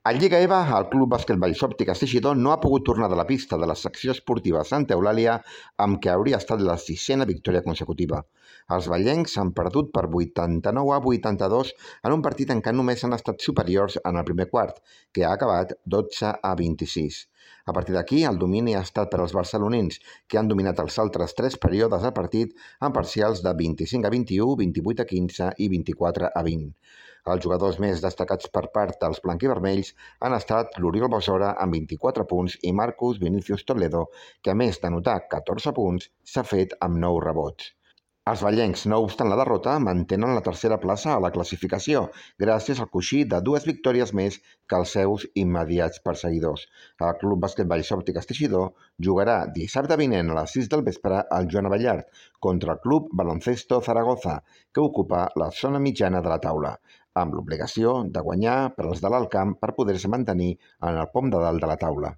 A Lliga EVA, el Club Bàsquet Vallsòptic Teixidor no ha pogut tornar de la pista de la secció esportiva Santa Eulàlia, amb què hauria estat la 6a victòria consecutiva. Els vallencs han perdut per 89-82 en un partit en què només han estat superiors en el primer quart, que ha acabat 12-26. A partir d'aquí, el domini ha estat per als barcelonins, que han dominat els altres 3 períodes del partit amb parcials de 25-21, 28-15 i 24-20. Els jugadors més destacats per part dels blanquivermells han estat l'Oriol Bossora amb 24 punts i Marcus Vinicius Toledo, que a més d'anotar 14 punts, s'ha fet amb 9 rebots. Els vallencs, no obstant la derrota, mantenen la tercera plaça a la classificació, gràcies al coixí de 2 victòries més que els seus immediats perseguidors. El Club Bàsquet Vallsòptic Teixidor jugarà dissabte vinent a les 6 del vespre al Joan Abellart contra el Club Baloncesto Zaragoza, que ocupa la zona mitjana de la taula, amb l'obligació de guanyar per als de l'alt camp per poder-se mantenir en el pom de dalt de la taula.